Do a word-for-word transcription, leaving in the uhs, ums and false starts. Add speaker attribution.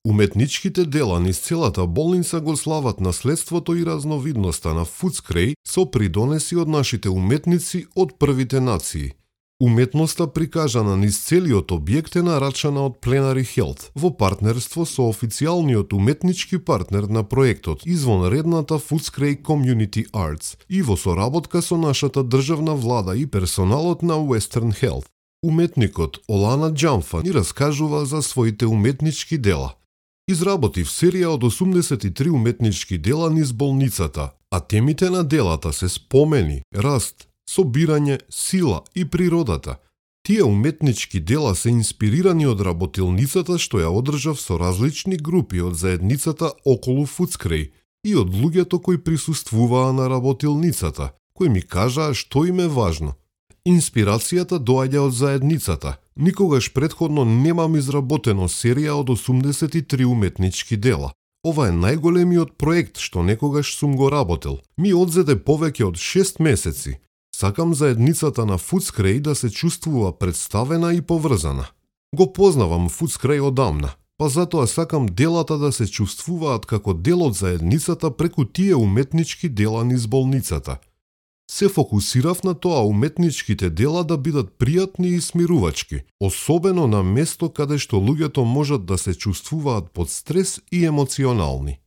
Speaker 1: Уметничките дела низ целата болница го слават наследството и разновидноста на Фудскреј со придонеси од нашите уметници од првите нации. Уметноста прикажана низ целиот објект е нарачана од Plenary Health во партнерство со официјалниот уметнички партнер на проектот, извонредната Footscray Community Arts, и во соработка со нашата државна влада и персоналот на Western Health. Уметникот Олана Џамфа ни раскажува за своите уметнички дела. Изработив серија од осумдесет и три уметнички дела низ болницата, а темите на делата се спомени, раст, собирање, сила и природата. Тие уметнички дела се инспирирани од работилницата што ја одржав со различни групи од заедницата околу Фудскреј и од луѓето кои присуствуваа на работилницата, кои ми кажаа што им е важно. Инспирацијата доаѓа од заедницата. Никогаш предходно немам изработено серија од осумдесет и три уметнички дела. Ова е најголемиот проект што некогаш сум го работел. Ми одзеде повеќе од шест месеци. Сакам заедницата на Фудскреј да се чувствува представена и поврзана. Го познавам Фудскреј одамна, па затоа сакам делата да се чувствуваат како дел од заедницата преку тие уметнички дела низ болницата. Се фокусирав на тоа уметничките дела да бидат пријатни и смирувачки, особено на место каде што луѓето можат да се чувствуваат под стрес и емоционални.